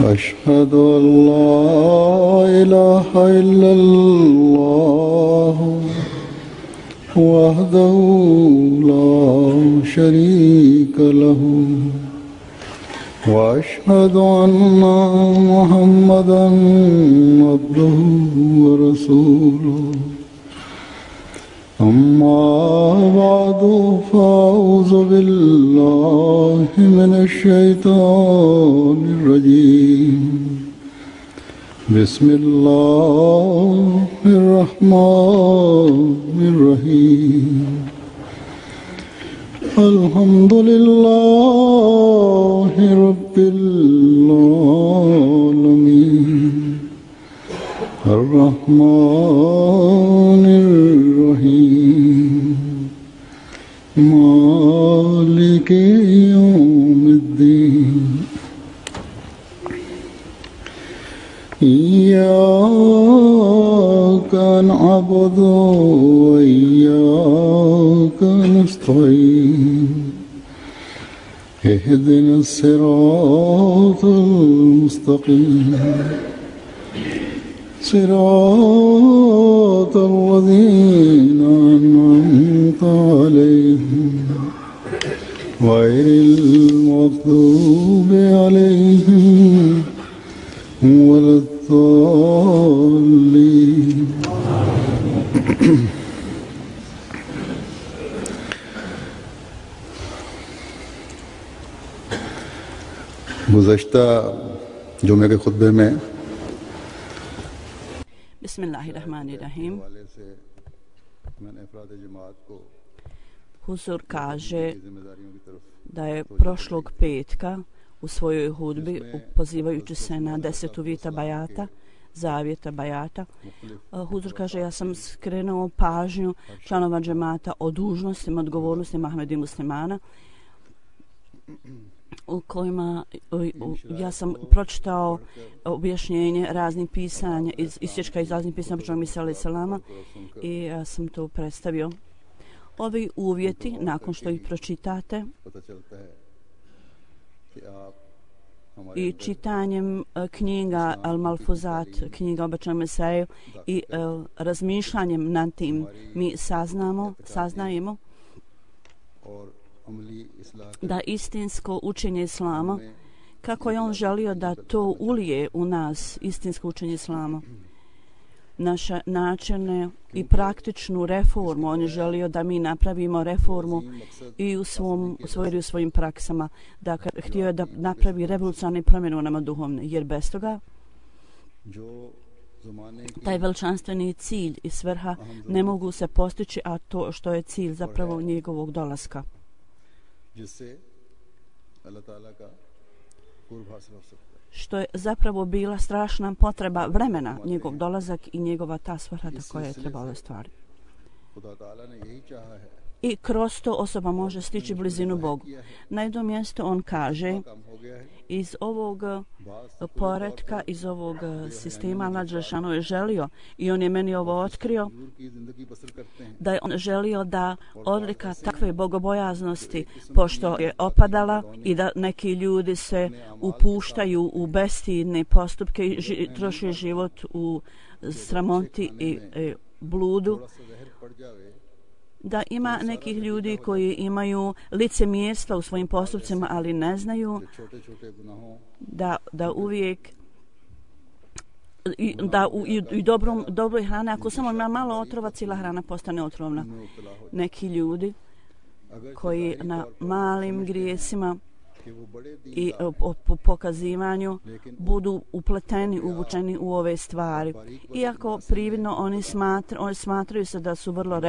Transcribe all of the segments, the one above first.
أشهد أن لا إله إلا الله وحده لا شريك له وأشهد أن محمدا عبده ورسوله أما بعد فأعوذ بالله من الشيطان الرجيم بسم الله الرحمن الرحيم الحمد لله رب العالمين الرحمن الرحيم مالك يوم الدين إياك نعبد وإياك نستعين اهدنا الصراط المستقيم صراط الذين أنعمت عليهم غير المغضوب عليهم ولا الضالين गुज़श्ता जुमे के खुतबे में Bismillahirrahmanirrahim. Huzur kaže da je prošlog petka u svojoj hudbi, pozivajući se na 10 uvjeta bajata, zavjeta bajata, Huzur kaže, ja sam skrenuo pažnju članova džemata o dužnostima, odgovornostima Ahmedi muslimana, u kojima ja sam pročitao objašnjenje raznih pisanja, isječka iz raznih pisanja Božjeg Misa alaih salama, i ja sam to predstavio. Ovi uvjeti, nakon što ih pročitate i čitanjem knjiga Al-Malfuzat, knjiga Obećanog Mesaju, i razmišljanjem nad tim, mi saznajemo da istinsko učenje Islama, kako je on želio da to ulije u nas, istinsko učenje Islama, naše načine i praktičnu reformu. On je želio da mi napravimo reformu i u svojim praksama. Dakle, htio je da napravi revolucionarne promjene u nama duhovne, jer bez toga taj veličanstveni cilj i svrha ne mogu se postići, a to što je cilj zapravo njegovog dolaska. Što je zapravo bila strašna potreba vremena, njegov dolazak i njegova ta svrha koja je trebala stvariti. I kroz to osoba može stići blizinu Bogu. Na jednom mjestu on kaže, iz ovog poretka, iz ovog sistema Allah dželešanu je želio, i on je meni ovo otkrio, da je on želio da odlika takve bogobojaznosti, pošto je opadala i da neki ljudi se upuštaju u bestidne postupke i troše život u sramoti i bludu, da ima nekih ljudi koji imaju licemjerstva u svojim postupcima, ali ne znaju da uvijek da u dobroj hrani, ako samo ima malo otrova, cijela hrana postane otrovna. Neki ljudi koji na malim grijesima i po pokazivanju budu upleteni, uvučeni u ove stvari. Iako prividno oni smatraju se da su vrlo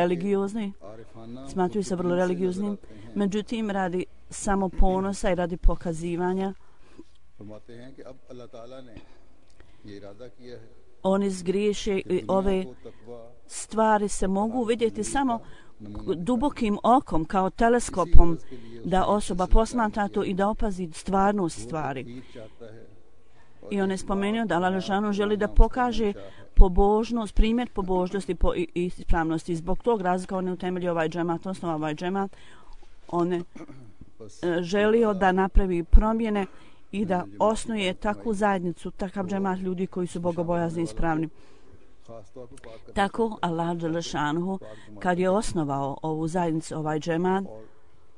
religiozni, međutim radi samo ponosa i radi pokazivanja oni zgriješe, i ove stvari se mogu vidjeti samo dubokim okom, kao teleskopom, da osoba posmatra to i da opazi stvarnost stvari. I on je spomenuo da Allah dželešanu želi da pokaže pobožnost, primjer pobožnosti i ispravnosti. Zbog tog razloga on je utemeljio ovaj džemat, osnova ovaj džemat. On je želio da napravi promjene i da osnuje takvu zajednicu, takav džemat ljudi koji su bogobojazni i ispravni. Tako Allah dželešanuhu kad je osnovao ovu zajednicu, ovaj džemat,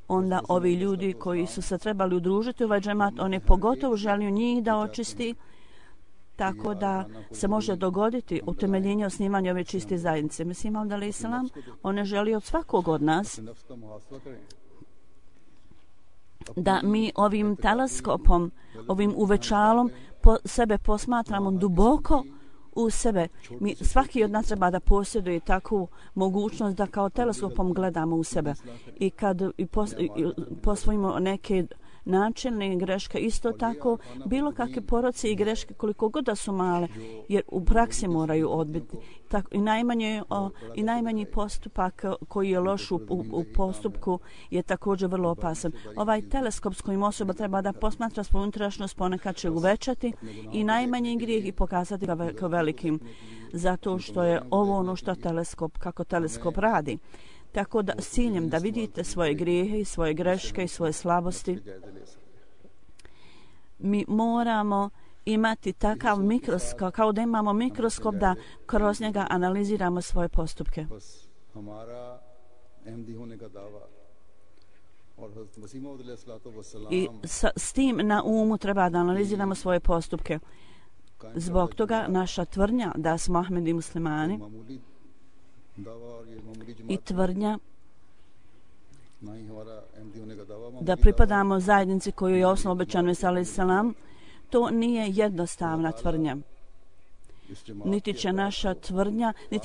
onda ovi ljudi koji su se trebali udružiti u ovaj džemat, on je pogotovo želio njih da očisti, tako da se može dogoditi utemeljenje osnivanja ove čiste zajednice. Mislim, alejhi selam, on je želio od svakog od nas da mi ovim teleskopom, ovim uvećalom sebe posmatramo duboko u sebe. Svaki od nas treba da posjeduje takvu mogućnost da kao teleskopom gledamo u sebe. I kad posvojimo neke načelne greške, isto tako bilo kakve poroci i greške koliko god da su male, jer u praksi moraju odbiti. Tako, i najmanji postupak koji je loš u postupku je također vrlo opasan. Ovaj teleskop s kojim osoba treba da posmatra svoju unutrašnjost ponekad će uvećati i najmanji grijeh i pokazati ga kao velikim, zato što je ovo ono što kako teleskop radi. Tako da s ciljem da vidite svoje grijehe i svoje greške i svoje slabosti, mi moramo imati takav mikroskop, kao da imamo mikroskop da kroz njega analiziramo svoje postupke. I s tim na umu treba da analiziramo svoje postupke. Zbog toga naša tvrdnja da smo Ahmedi muslimani i tvrdnja da pripadamo zajednici koju je osnovao obećan alejhi selam, to nije jednostavna tvrdnja. Niti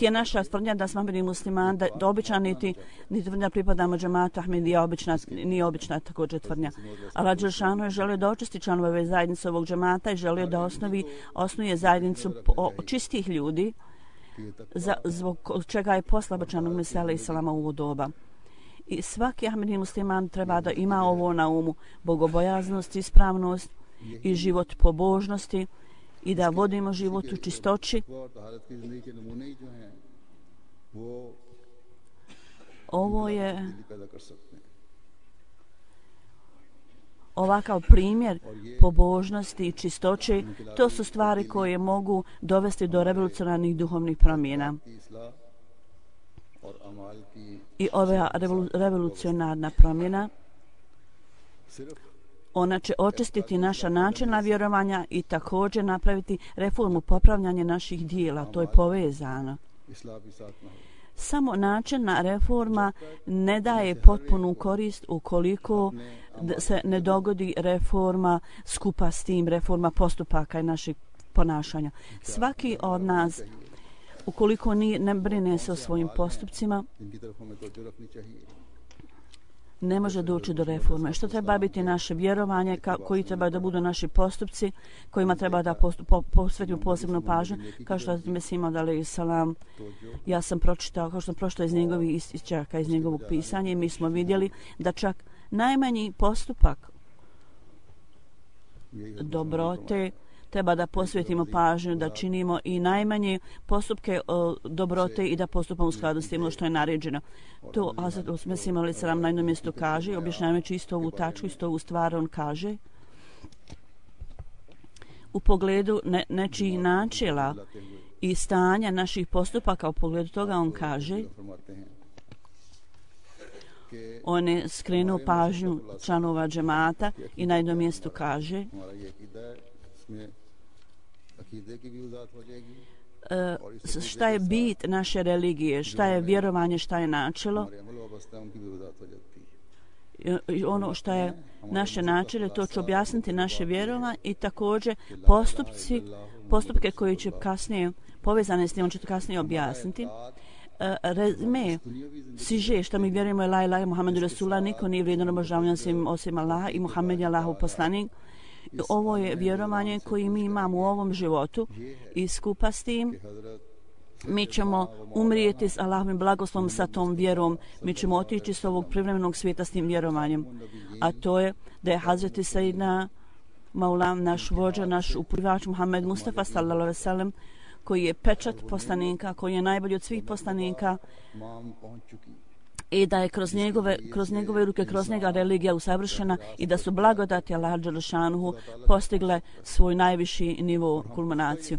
je naša tvrdnja da smo Ahmedi muslimani, da obična niti tvrdnja pripadamo džematu Ahmedija, nije obična također tvrdnja. Allah dželešanu je želio da očisti članove ove zajednice ovog džemata i želio da osnuje zajednicu čistih ljudi, zbog čega je poslao obećanog Mesija alejhi selama u ovo doba. I svaki Ahmedi musliman treba da ima ovo na umu, bogobojaznost, ispravnost i život pobožnosti i da vodimo život u čistoći. Ovo je ovakav primjer pobožnosti i čistoće, to su stvari koje mogu dovesti do revolucionarnih duhovnih promjena. I ova revolucionarna promjena, ona će očistiti naša načelna vjerovanja i također napraviti reformu popravljanja naših dijela. To je povezano. Samo načelna reforma ne daje potpunu korist ukoliko se ne dogodi reforma skupa s tim, reforma postupaka i naših ponašanja. Svaki od nas, ukoliko ne brine se o svojim postupcima, ne može doći do reforme. Što treba biti naše vjerovanje, koji treba da budu naši postupci, kojima treba da posvetimo posebnu pažnju, kao što je Mesija alejhi selam. Ja sam pročitao, kao što sam pročitao iz njegovih isčaka, iz njegovog pisanja, i mi smo vidjeli da čak najmanji postupak dobrote treba da posvetimo pažnju, da činimo i najmanje postupke dobrote i da postupamo u skladu s tim što je naređeno. To Hazret Mesija alejhi selam na jednom mjestu kaže, objašnjavajući isto ovu tačku, isto ovu stvar, on kaže u pogledu nečijih načela i stanja naših postupaka, u pogledu toga on kaže, on je skrenuo pažnju članova džemata i na jednom mjestu kaže šta je bit naše religije, šta je vjerovanje, šta je načelo. Ono što je naše načelo, to će objasniti naše vjerovanje i također postupke koji će kasnije povezane s njim, on će to kasnije objasniti. Rezime, siže što mi vjerujemo je la ilaha Muhammedu Rasulullah, niko nije vrijedan obožavanja osim Allaha i Muhammed je Allahov poslanik. Ovo je vjerovanje koje mi imamo u ovom životu i skupa s tim mi ćemo umrijeti s Allahovim blagoslovom sa tom vjerom. Mi ćemo otići s ovog privremenog svijeta s tim vjerovanjem. A to je da je Hazreti Sayyidina Maulam, naš vođa, naš uputavač Muhammed Mustafa sallallahu alejhi ve sellem, koji je pečat poslanika, koji je najbolji od svih poslanika, i da je kroz njegove ruke, kroz njega religija usavršena i da su blagodati Allaha dželešanuhu postigle svoj najviši nivo, kulminaciju.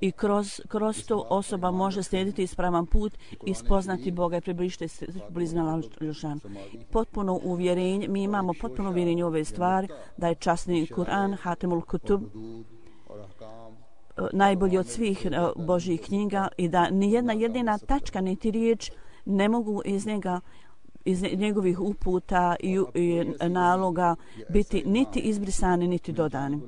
I kroz to osoba može slijediti ispravan put i spoznati Boga i približiti se blizina Allaha dželešanuhu. Potpuno uvjerenje, mi imamo potpuno uvjerenje u ove stvari, da je časni Kur'an, Hatemul Kutub, najbolji od svih Božjih knjiga i da nijedna jedina tačka niti riječ ne mogu iz njegovih uputa i naloga biti niti izbrisani niti dodani.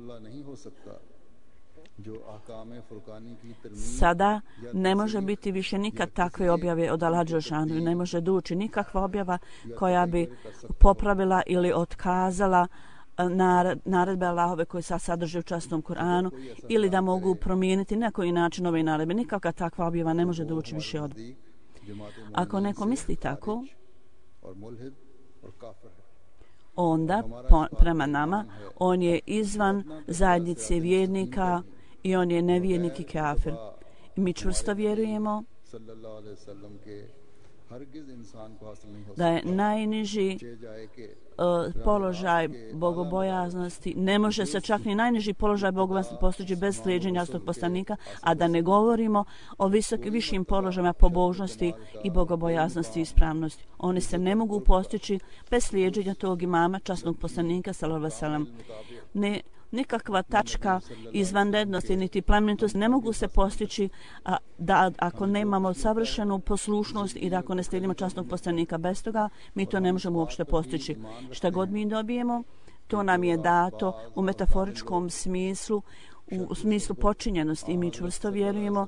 Sada ne može biti više nikad takve objave od Allaha dželešanuhu, ne može doći nikakva objava koja bi popravila ili otkazala naredbe Allahove koje sad sadrže u časnom Kur'anu ili da mogu promijeniti na koji način ove naredbe. Nikakva takva objava ne može doći više od. Ako neko misli tako, onda prema nama on je izvan zajednice vjernika i on je nevjernik i kafir. Mi čvrsto vjerujemo da je najniži položaj bogobojaznosti, ne može se čak ni najniži položaj bogobojaznosti postići bez slijeđenja svog poslanika, a da ne govorimo o višim položajima pobožnosti i bogobojaznosti i ispravnosti. Oni se ne mogu postići bez slijeđenja tog imama, časnog poslanika, sallallahu alejhi ve sellem. Nikakva tačka izvanrednosti niti plemenitosti ne mogu se postići da ako nemamo savršenu poslušnost i da ako ne slijedimo časnog poslanika. Bez toga mi to ne možemo uopšte postići. Šta god mi dobijemo, to nam je dato u metaforičkom smislu, u smislu počinjenosti i mi čvrsto vjerujemo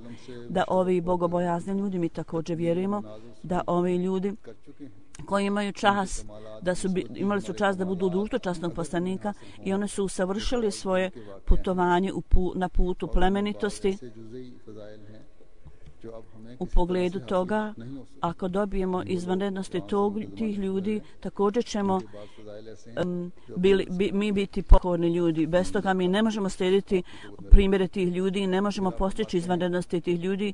da ovi bogobojazni ljudi, mi također vjerujemo da ovi ljudi koji imaju čast, imali su čast da budu u društvu časnog poslanika i oni su usavršili svoje putovanje na putu plemenitosti. U pogledu toga, ako dobijemo izvanrednosti tih ljudi, također ćemo mi biti pokorni ljudi. Bez toga mi ne možemo slijediti primjere tih ljudi i ne možemo postići izvanrednosti tih ljudi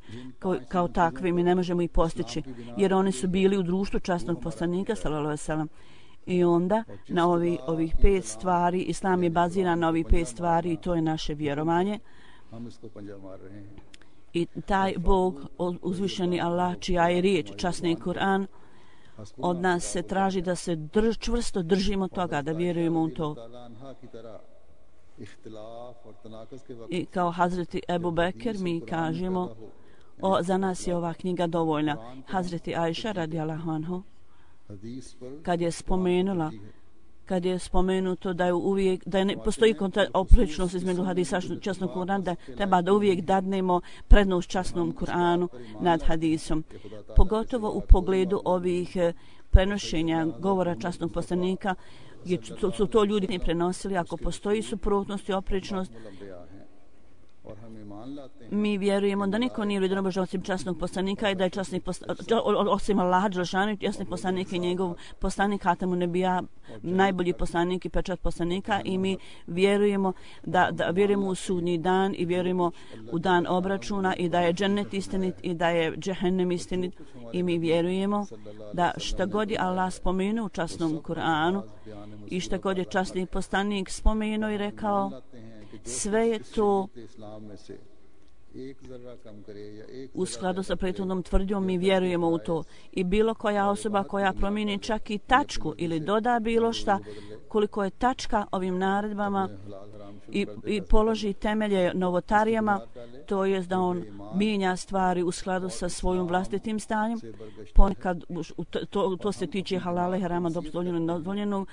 kao takvi. Mi ne možemo ih postići, jer oni su bili u društvu časnog poslanika, sallallahu alejhi ve sellem. I onda na ovih 5 stvari, Islam je baziran na ovih 5 stvari i to je naše vjerovanje. I taj Bog, uzvišeni Allah, čija je riječ, časni Kur'an, od nas se traži da se čvrsto držimo toga, da vjerujemo u to. I kao Hazreti Ebu Bekir mi kažemo, za nas je ova knjiga dovoljna. Hazreti Ajša radijallahu anhu, kad je spomenuto da je uvijek, da ne postoji oprečnost između hadisa i časnog Kur'ana, da treba da uvijek dadnemo prednost časnom Kur'anu nad hadisom. Pogotovo u pogledu ovih prenošenja govora časnog poslanika, jer su to ljudi prenosili, ako postoji suprotnost i oprečnost, mi vjerujemo da niko nije vrijedan obožavao osim časnog poslanika i da je osim Allaha dželešanuhu, časni poslanik i njegov poslanik Hatemun Nebija, najbolji poslanik i pečat poslanika, i mi vjerujemo da vjerujemo u sudnji dan i vjerujemo u dan obračuna i da je džennet istinit i da je džehennem istinit, i mi vjerujemo da šta god je Allah spomenuo u časnom Kur'anu i šta god je časni poslanik spomenuo i rekao, sve je to u skladu sa prethodnom tvrdnjom. Mi vjerujemo u to. I bilo koja osoba koja promijeni čak i tačku ili doda bilo šta, koliko je tačka ovim naredbama i položi temelje novotarijama, to je da on mijenja stvari u skladu sa svojim vlastitim stanjem. Ponekad to se tiče halala i harama, dozvoljenog i nedozvoljenog,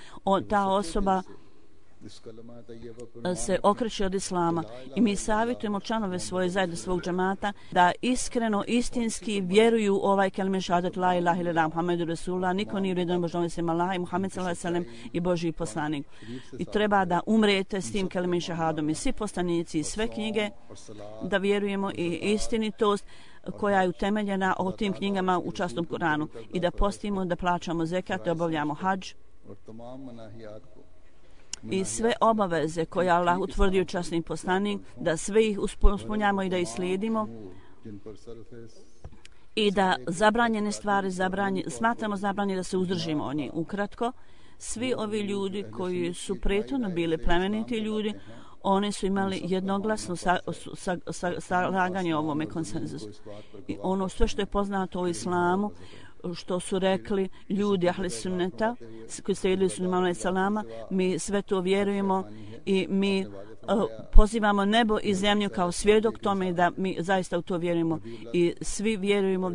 ta osoba se okreće od Islama. I mi savjetujemo članove svoje zajedno svog džemata da iskreno, istinski vjeruju u ovaj kelime šahadet la ilaha illallah Muhammedu Rasulullah, niko nije vrijedan obožavanja osim Allaha i Muhammed sallallahu alejhi ve sellem i Božji poslanik. I treba da umrete s tim kelime šahadom i svi poslanici i sve knjige, da vjerujemo i istinitost koja je utemeljena o tim knjigama u časnom Kur'anu, i da postimo, da plaćamo zekat, da obavljamo hadž i sve obaveze koje Allah utvrdio časni poslanik, da sve ih ispunjamo i da ih slijedimo, i da zabranjene stvari smatramo zabranjene da se uzdržimo od njih. Ukratko, svi ovi ljudi koji su prethodno bili plemeniti ljudi, oni su imali jednoglasno slaganje ovome konsenzusu. I ono sve što je poznato o islamu, što su rekli ljudi ahli sunneta koji slijedili su imama salama, mi sve to vjerujemo i mi pozivamo nebo i zemlju kao svjedok tome da mi zaista u to vjerujemo i svi vjerujemo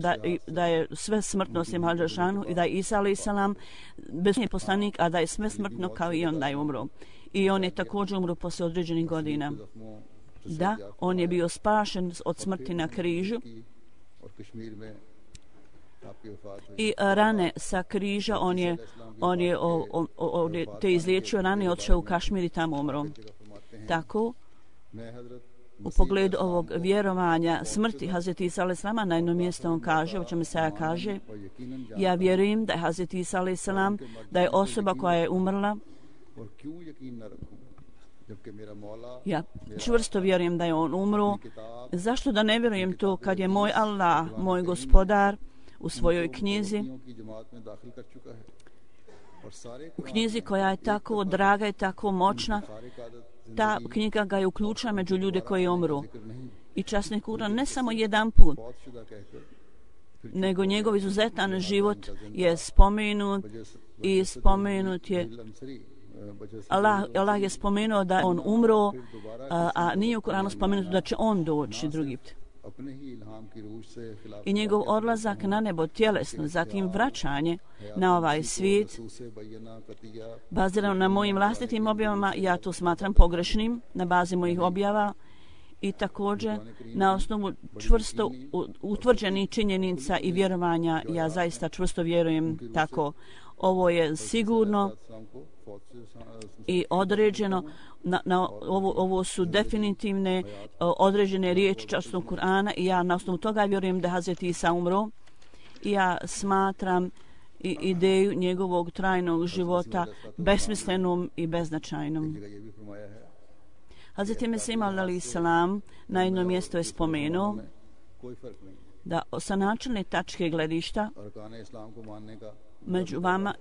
da je sve smrtno osim Al-Đelešanu i da je Isa alaih salam bezsmrtni poslanik, a da je sve smrtno kao i on da je umro. I on je također umro posle određenih godina. Da, on je bio spašen od smrti na križu i rane sa križa on je te izliječio rane i otišao u Kašmir i tamo umro. Tako, u pogledu ovog vjerovanja smrti Hazreti Isa alaih salama, na jednom mjestu on kaže, o čemu Mesaja kaže, ja vjerujem da je Hazreti Isa alaih salam, da je osoba koja je umrla. Ja čvrsto vjerujem da je on umro. Zašto da ne vjerujem to kad je moj Allah, moj gospodar, u svojoj knjizi, u knjizi koja je tako draga i tako moćna, ta knjiga ga je uključila među ljude koji umru. I časni Kur'an ne samo jedan put, nego njegov izuzetan život je spomenut i spomenut je Allah je spomenuo da on umro, a nije u Kur'anu spomenuto da će on doći drugi put. I njegov odlazak na nebo tjelesno, zatim vraćanje na ovaj svijet, bazirano na mojim vlastitim objavama, ja to smatram pogrešnim na bazi mojih objava i također na osnovu čvrsto utvrđenih činjenica i vjerovanja, ja zaista čvrsto vjerujem tako. Ovo je sigurno i određeno, ovo su definitivne određene riječi časnog Kur'ana i ja na osnovu toga vjerujem da Hazreti Isa umro i ja smatram i ideju njegovog trajnog života besmislenom i beznačajnom. Hazreti Mesih alaih salam na jednom mjestu je spomenuo da sa načelne tačke gledišta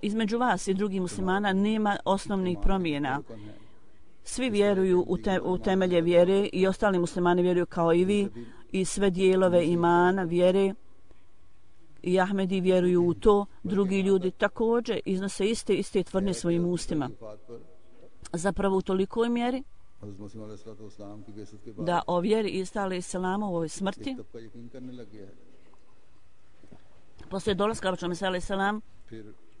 između vas i drugih muslimana nema osnovnih promjena. Svi vjeruju u temelje vjere i ostali muslimani vjeruju kao i vi i sve dijelove imana vjere i Ahmedi vjeruju u to, drugi ljudi također iznose iste tvrdnje svojim ustima. Zapravo u tolikoj mjeri da o vjeri Isa alaih salama u ovoj smrti poslije dolaska Mesaja alaih salam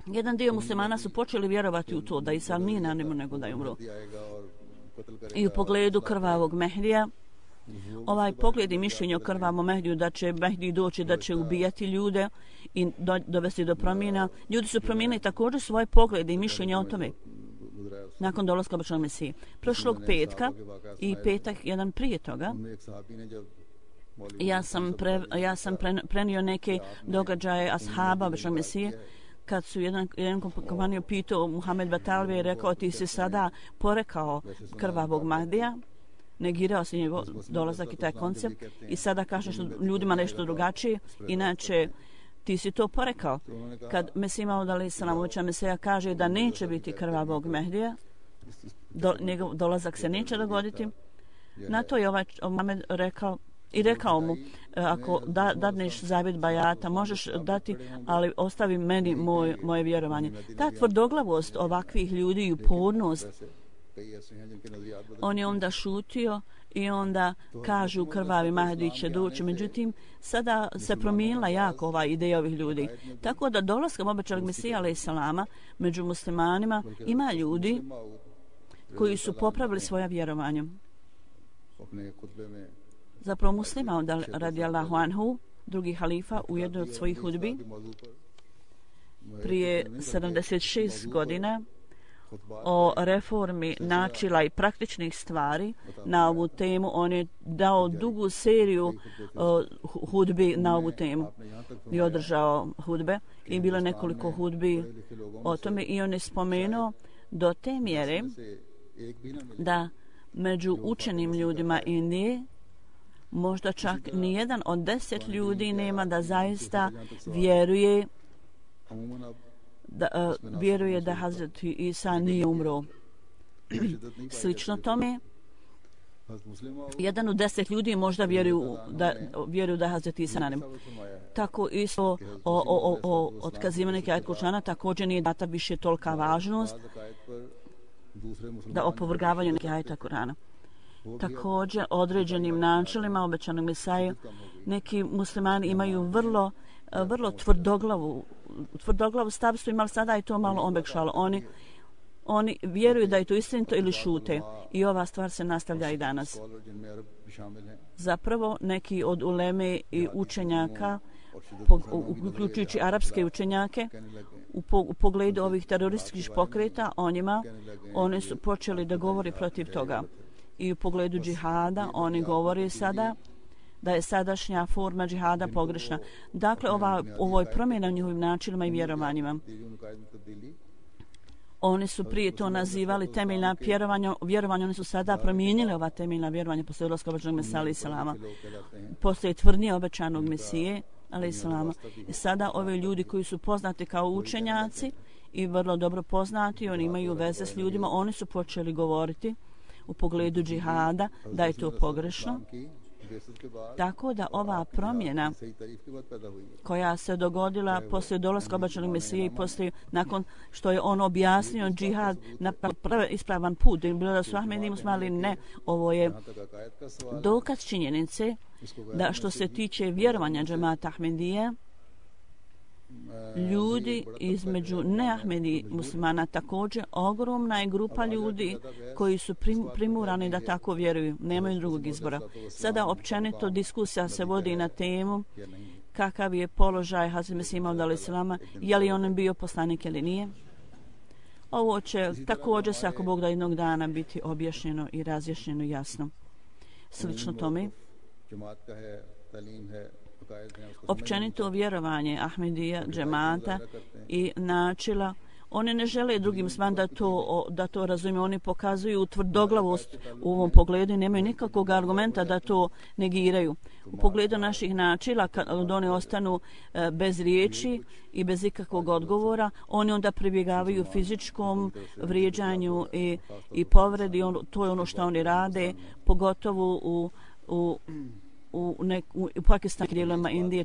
jedan dio muslimana su počeli vjerovati u to da Isa nije na nebu nego da je umro. I u pogledu krvavog Mehdija, ovaj pogled i mišljenje o krvavom Mehdiju da će Mehdi doći, da će ubijati ljude i dovesti do promjena, ljudi su promijenili također svoje poglede i mišljenje o tome nakon dolaska obećanog Mesije. Prošlog petka i petak jedan prije toga ja sam prenio neke događaje ashaba obećanog Mesije kad su jedan kompaniju pitao Muhammed Batalvi i rekao ti si sada porekao krvavog Mahdija, negirao si njegov dolazak i taj koncept i sada kažeš ljudima nešto drugačije, inače ti si to porekao. Kad Mesih Maud alaih salam obećan Mesija kaže da neće biti krvavog Mehdija, njegov dolazak se neće dogoditi, na to je ovaj Muhammed rekao mu, ako dadneš zavjet bajata, možeš dati, ali ostavi meni moje vjerovanje. Ta tvrdoglavost ovakvih ljudi i upornost, on je onda šutio i onda kažu krvavi Mahdi će doći. Međutim, sada se promijenila jako ova ideja ovih ljudi. Tako da dolaskom obećanog Mesija alaih salama među muslimanima ima ljudi koji su popravili svoja vjerovanja. Zapravo muslima radijallahu anhu, drugi halifa u jednoj od svojih hudbi prije 76 godina o reformi načela i praktičnih stvari na ovu temu. On je dao dugu seriju hudbi na ovu temu i održao hudbe i bilo nekoliko hudbi o tome i on je spomenuo do te mjere da među učenim ljudima Indije možda čak nijedan od 10 ljudi nema da zaista vjeruje da Hazret Isa nije umro. Slično tome, jedan od 10 ljudi možda vjeruju da Hazret Isa nanem. Tako isto o otkazivanje ajet Kur'ana također nije data više tolika važnost da opovrgavanju nekih ajeta Kur'ana. Također određenim načelima obećanog Mesaje neki muslimani imaju vrlo tvrdoglavu stavstvo, imali sada i to malo omekšalo. Oni vjeruju da je to istinito ili šute i ova stvar se nastavlja i danas. Zapravo neki od uleme i učenjaka, uključujući arapske učenjake, u pogledu ovih terorističkih pokreta oni su počeli da govori protiv toga. I u pogledu džihada oni govore sada da je sadašnja forma džihada pogrešna. Dakle, ovo je promjena u njihovim načinima i vjerovanjima. Oni su prije to nazivali temeljna vjerovanja, oni su sada promijenili ova temeljna vjerovanja posle ulaska obećanog Mesija alaih salama. Postoje tvrdnje obećanog Mesije alaih salama. I sada ovi ljudi koji su poznati kao učenjaci i vrlo dobro poznati, oni imaju veze s ljudima, oni su počeli govoriti u pogledu džihada da je to pogrešno. Tako da ova promjena koja se dogodila poslije dolaska obećanog Mesije i poslije nakon što je on objasnio džihad na ispravan put, bilo da su Ahmedi muslimani, ne, ovo je dokaz činjenice da što se tiče vjerovanja džemata Ahmedije, ljudi između neahmedi muslimana također ogromna je grupa ljudi koji su primurani da tako vjeruju, nemaju drugog izbora. Sada općenito diskusija se vodi na temu kakav je položaj Hazreti Mesija Mauda alaih salama, je li on bio poslanik ili nije. Ovo će također se, ako Bog da, jednog dana biti objašnjeno i razjašnjeno jasno. Slično tome, općenito vjerovanje Ahmedija, džemata i načela, oni ne žele drugim svan da to razumiju, oni pokazuju tvrdoglavost u ovom pogledu i nemaju nikakvog argumenta da to negiraju. U pogledu naših načela, kad oni ostanu bez riječi i bez ikakvog odgovora, oni onda pribjegavaju fizičkom vrijeđanju i povredi, to je ono što oni rade, pogotovo u pakistanskim dijelovima Indije,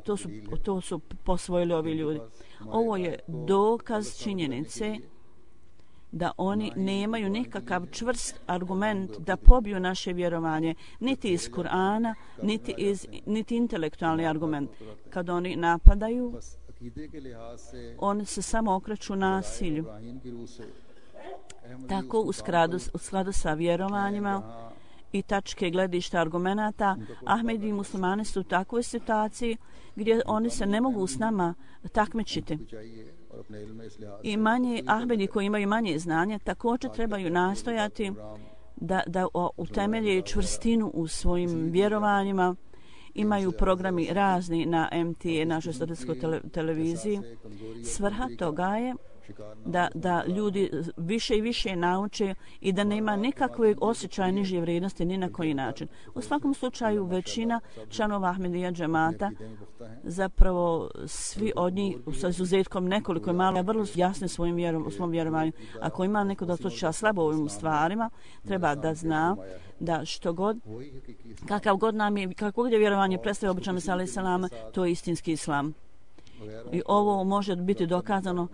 to su posvojili ovi ljudi. Ovo je dokaz činjenice da oni nemaju nikakav čvrst argument da pobiju naše vjerovanje, niti iz Kur'ana, niti intelektualni argument. Kad oni napadaju, oni se samo okreću nasilju. Tako u skladu sa vjerovanjima i tačke gledišta argumenata, Ahmedi i muslimani su u takvoj situaciji gdje oni se ne mogu s nama takmičiti. I manji Ahmedi koji imaju manje znanje također trebaju nastojati da utemelje čvrstinu u svojim vjerovanjima. Imaju programi razni na MTA, našoj studentskoj televiziji. Svrha toga je da ljudi više i više nauče i da nema nikakvog osjećaja niže vrijednosti ni na koji način. U svakom slučaju većina članova Ahmedija džemata, zapravo svi od njih, sa izuzetkom nekoliko je malo, vrlo jasni u svom vjerovanju. Ako ima neko da slučaja slabo u ovim stvarima, treba da zna da što god, kako god je vjerovanje predstavio obećanog Mesija alaih salama, to je istinski islam. I ovo može biti dokazano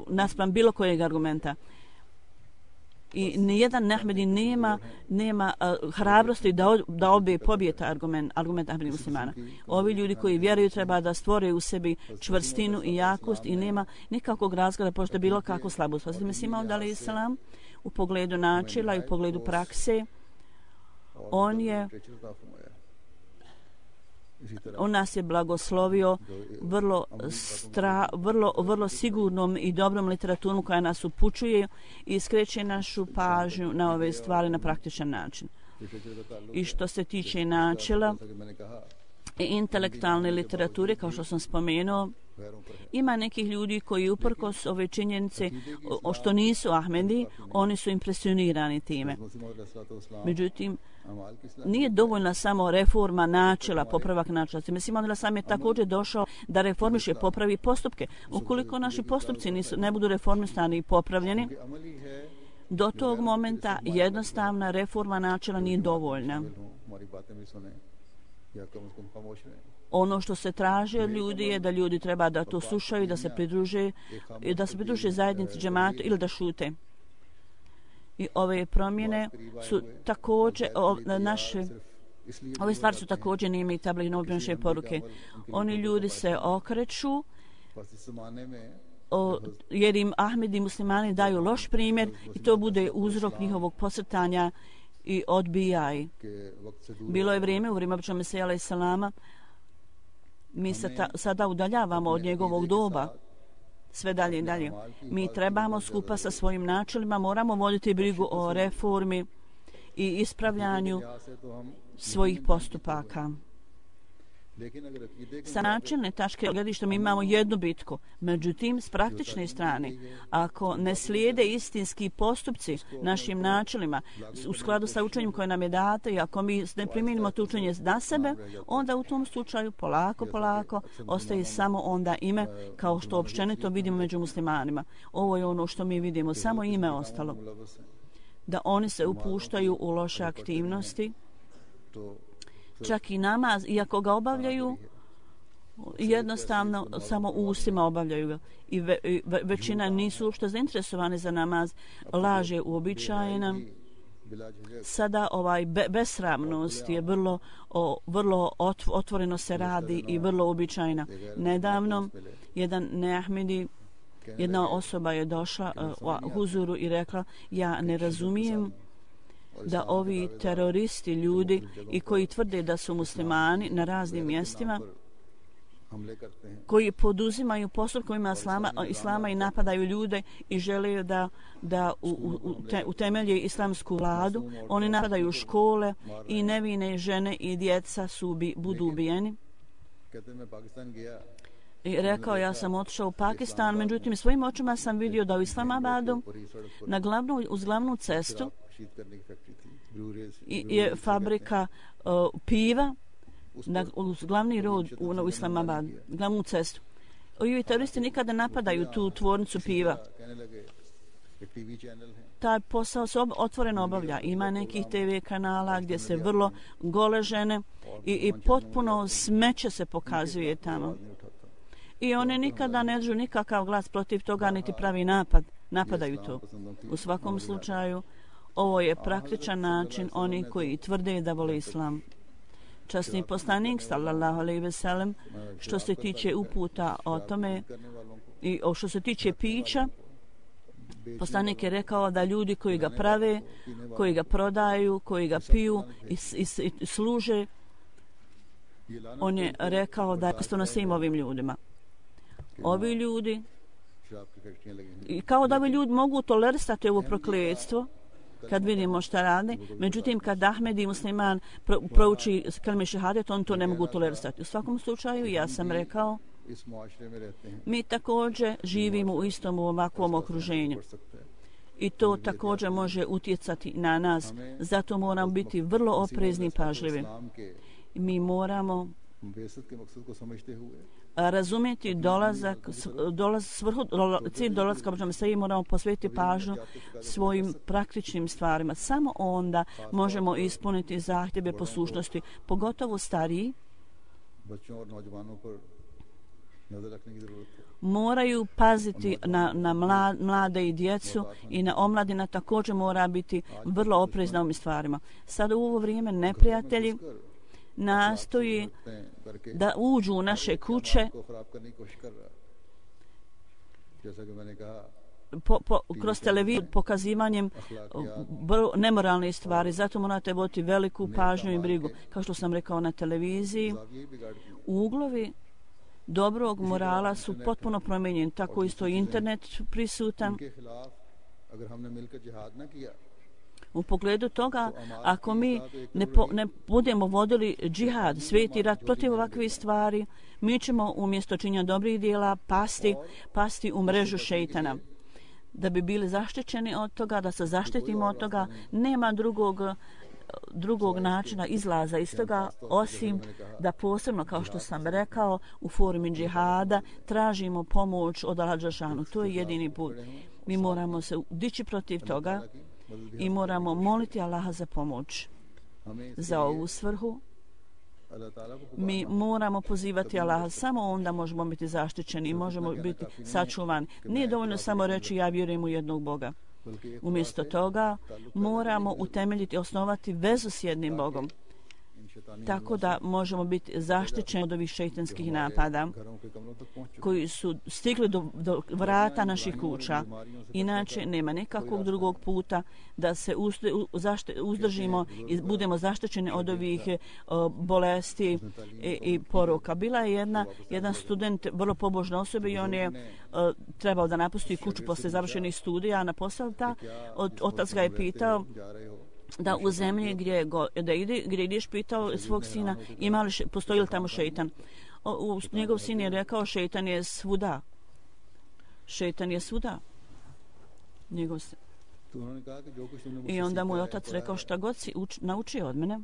naspram bilo kojeg argumenta. I nijedan Ahmedi nema hrabrosti da pobije taj argument Ahmedi muslimana. Ovi ljudi koji vjeruju treba da stvore u sebi čvrstinu i jakost i nema nikakvog razloga da pošto bilo kakvu slabost. Hazreti Mesija Maud alaih salam u pogledu načela i u pogledu prakse, on nas je blagoslovio vrlo sigurnom i dobrom literaturom koja nas upućuje i skreće našu pažnju na ove stvari na praktičan način. I što se tiče načela i intelektualne literature, kao što sam spomenuo, Ima nekih ljudi koji uprkos ove činjenice što nisu Ahmedi, oni su impresionirani time. Međutim, nije dovoljna samo reforma načela, popravak načela. Mislim, onda sam je također došao da reformiše, popravi postupke. Ukoliko naši postupci ne budu reformisani i popravljeni, do tog momenta jednostavna reforma načela nije dovoljna. Ono što se traži od ljudi je da ljudi treba da to slušaju, da se pridruže zajednici džematu ili da šute. I ove promjene su također ove stvari su također nime i tabli naše poruke. Oni ljudi se okreću jer im Ahmedi muslimani daju loš primjer i to bude uzrok njihovog posrtanja i odbijaj. Bilo je vrijeme, u vrijeme Običnog Mesija alaih salama, mi se sada udaljavamo od njegovog doba, sve dalje i dalje. Mi trebamo skupa sa svojim načelima, moramo voditi brigu o reformi i ispravljanju svojih postupaka. Sa načelne tačke gledišta mi imamo jednu bitku. Međutim, s praktične strane, ako ne slijede istinski postupci našim načelima u skladu sa učenjem koje nam je dato i ako mi ne primijenimo to učenje na sebe, onda u tom slučaju polako ostaje samo onda ime, kao što općenito vidimo među muslimanima. Ovo je ono što mi vidimo, samo ime ostalo. Da oni se upuštaju u loše aktivnosti, čak i namaz, iako ga obavljaju, jednostavno samo ustima obavljaju ga. I većina nisu uopšte zainteresovane za namaz. Laž je uobičajena. Sada besramnost je vrlo otvoreno se radi i vrlo uobičajena. Nedavno jedan neahmedi, jedna osoba je došla u huzuru i rekla: ja ne razumijem da ovi teroristi ljudi i koji tvrde da su muslimani na raznim mjestima, koji poduzimaju postupkovima islama i napadaju ljude i žele da utemelje islamsku vladu, oni napadaju škole i nevine žene i djeca budu ubijeni. I rekao, ja sam otišao u Pakistan, međutim svojim očima sam vidio da u Islamabadu uz glavnu cestu je fabrika piva uz glavni rod u Islamabadu, glavnu cestu. Ovi teroristi nikada napadaju tu tvornicu piva. Taj posao se otvoreno obavlja. Ima nekih TV kanala gdje se vrlo gole žene i potpuno smeće se pokazuje tamo. I one nikada ne držu nikakav glas protiv toga, niti pravi napadaju to. U svakom slučaju, ovo je praktičan način onih koji tvrde da vole islam. Časni poslanik, sallallahu alejhi ve sellem, što se tiče uputa o tome i što se tiče pića, poslanik je rekao da ljudi koji ga prave, koji ga prodaju, koji ga piju i služe, on je rekao da je postavno svim ovim ljudima. Ovi ljudi, i kao da ovi ljudi mogu tolerisati ovo prokletstvo, kad vidimo šta rade, međutim kad Ahmedi musliman prouči kalime šehadet, on to ne mogu tolerisati. U svakom slučaju, ja sam rekao, mi također živimo u istom ovakvom okruženju. I to također može utjecati na nas. Zato moramo biti vrlo oprezni i pažljivi. Mi moramo razumjeti cilj dolazka Običnog Mesije, moramo posvetiti pažnju svojim praktičnim stvarima. Samo onda možemo ispuniti zahtjeve poslušnosti, pogotovo stariji. Moraju paziti na mlade i djecu i na omladina također mora biti vrlo oprezna ovim stvarima. Sada u ovo vrijeme neprijatelji nastoji da uđu u naše kuće kroz televiziju pokazivanjem nemoralnih stvari. Zato morate voditi veliku pažnju i brigu. Kao što sam rekao na televiziji, uglovi dobrog morala su potpuno promijenjeni. Tako isto internet prisutan. U pogledu toga, ako mi ne budemo vodili džihad, sveti rat protiv ovakvih stvari, mi ćemo umjesto činjenja dobrih dijela pasti u mrežu šejtana. Da bi bili zaštićeni od toga, da se zaštitimo od toga, nema drugog načina izlaza iz toga, osim da posebno, kao što sam rekao, u formi džihada tražimo pomoć od Allaha dželešanu. To je jedini put. Mi moramo se dići protiv toga i moramo moliti Allaha za pomoć. Za ovu svrhu mi moramo pozivati Allaha, samo onda možemo biti zaštićeni i možemo biti sačuvani. Nije dovoljno samo reći ja vjerujem u jednog Boga. Umjesto toga moramo utemeljiti, osnovati vezu s jednim Bogom, tako da možemo biti zaštićeni od ovih šejtanskih napada koji su stigli do vrata naših kuća. Inače, nema nekakvog drugog puta da se uzdržimo i budemo zaštićeni od ovih bolesti i poroka. Bila je jedan student, vrlo pobožna osoba, i on je trebao da napusti kuću posle završenih studija na posao. Otac ga je pitao da u zemlji gdje ideš, pitao svog sina postoji li tamo šejtan. Njegov sin je rekao šejtan je svuda. Šejtan je svuda. I onda mu je otac rekao šta god si naučio od mene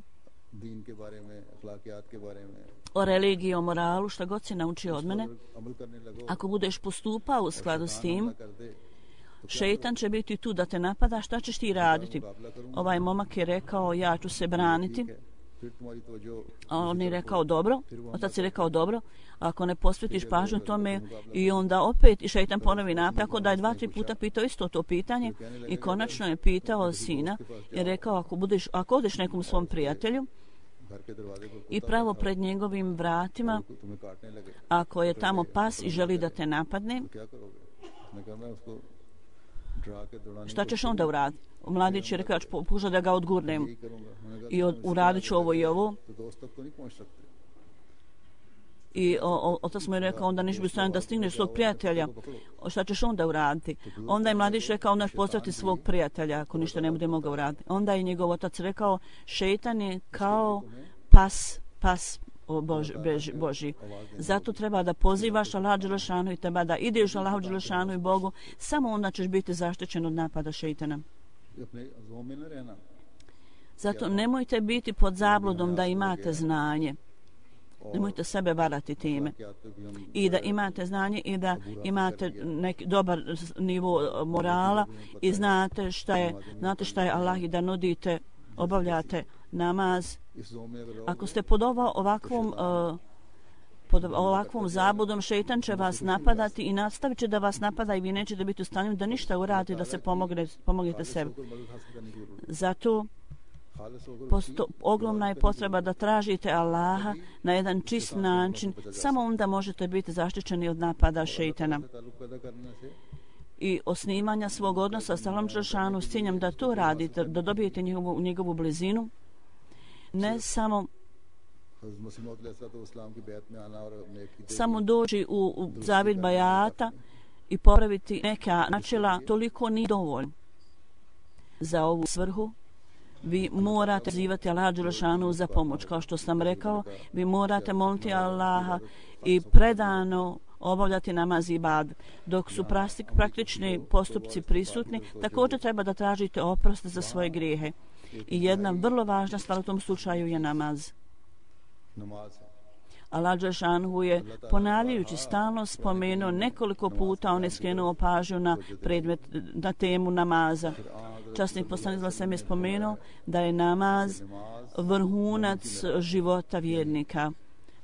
o religiji, o moralu, šta god si naučio od mene, ako budeš postupao u skladu s tim, šejtan će biti tu da te napada, šta ćeš ti raditi? Ovaj momak je rekao ja ću se braniti. A on je rekao dobro, otac je rekao dobro, ako ne posvetiš pažnju tome, i onda opet šejtan ponovi napad, tako da je 2-3 puta pitao isto to pitanje i konačno je pitao sina i rekao ako odeš nekom svom prijatelju i pravo pred njegovim vratima, ako je tamo pas i želi da te napadne, šta ćeš onda uraditi? Mladić je rekao, pokušao da ga odgurnem i uradit ću ovo i ovo. I otac mu je rekao, onda niš bi stavljeno da stigneš svog prijatelja, šta ćeš onda uraditi? Onda je mladić rekao, onda ćeš pozdraviti svog prijatelja ako ništa ne bude mogao uraditi. Onda je njegov otac rekao, šejtan je kao pas Boži. Zato treba da pozivaš Allaha dželešanu i treba da ideš Allahu dželešanu i Bogu, samo onda ćeš biti zaštićen od napada šejtana. Zato nemojte biti pod zabludom da imate znanje. Nemojte sebe varati time. I da imate znanje i da imate neki dobar nivo morala i znate šta je Allah i da nudite, obavljate namaz. Ako ste pod ovakvom zabudom, šejtan će vas napadati i nastavit će da vas napada i vi nećete biti u stanju da ništa uradite, da se pomognete sebi. Zato ogromna je potreba da tražite Allaha na jedan čist način, samo onda možete biti zaštićeni od napada šejtana. I osnivanja svog odnosa sa Allahom dželešanu s ciljem da to radite, da dobijete njegovu blizinu, ne samo doći u zavid bajata i popraviti neka načela, toliko nije dovoljno. Za ovu svrhu vi morate zivati Allaha dželešanu za pomoć. Kao što sam rekao, vi morate moliti Allaha i predano obavljati namaz i ibadet. Dok su praktični postupci prisutni, također treba da tražite oprost za svoje grijehe. I jedna vrlo važna stvar u tom slučaju je namaz. Allah dželešanu je ponavljajući stalno spomenuo nekoliko puta, on je skrenuo pažnju na temu namaza. Časni poslanik sam je spomenuo da je namaz vrhunac života vjernika.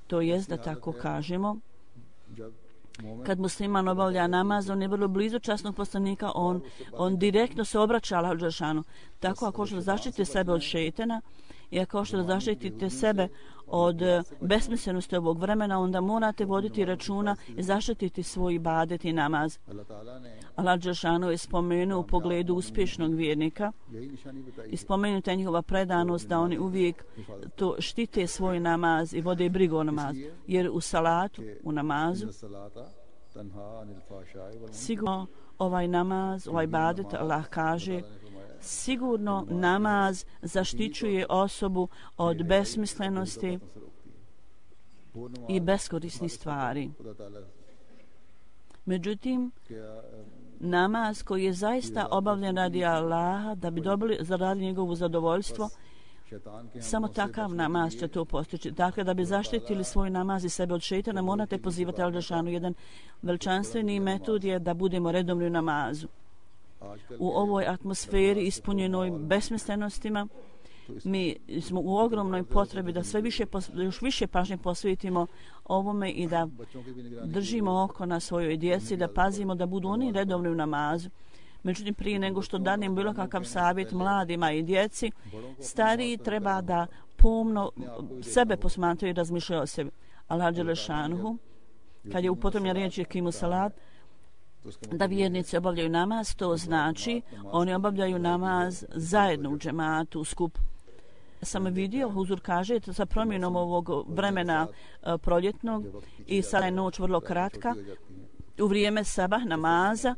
To jest da tako kažemo, kad musliman obavlja namaz, on je vrlo blizu časnog poslanika, on direktno se obraća Allahu dželešanu. Tako ako što zaštitite sebe od šejtana i ako što zaštitite sebe od besmislenosti ovog vremena, onda morate voditi računa i zaštititi svoj ibadet i namaz. Allah dželešanu je spomenuo u pogledu uspješnog vjernika i spomenuta je njihova predanost da oni uvijek to štite svoj namaz i vode brigu o namazu. Jer u salatu, u namazu, sigurno ovaj namaz, ovaj ibadet, Allah kaže sigurno namaz zaštićuje osobu od besmislenosti i beskorisnih stvari. Međutim, namaz koji je zaista obavljen radi Allaha, da bi dobili zaradi njegovu zadovoljstvo, samo takav namaz će to postići. Dakle, da bi zaštitili svoj namaz i sebe od šejtana, morate pozivati Al-Đelešanu. Jedan veličanstveni metod je da budemo redovni u namazu. U ovoj atmosferi ispunjenoj besmislenostima, mi smo u ogromnoj potrebi da još više pažnje posvetimo ovome i da držimo oko na svojoj djeci, da pazimo da budu oni redovni u namazu. Međutim, prije nego što danem bilo kakav savjet mladima i djeci, stariji treba da pomno sebe posmatraju i razmišljaju o sebi. Allah Đelešanuhu, kad je upotrebljena riječ Ekimu Salat, da vjernici obavljaju namaz, to znači oni obavljaju namaz zajedno u džematu, u skupu. Sam vidio, Huzur kaže, sa promjenom ovog vremena proljetnog i sada je noć vrlo kratka, u vrijeme sabah namaza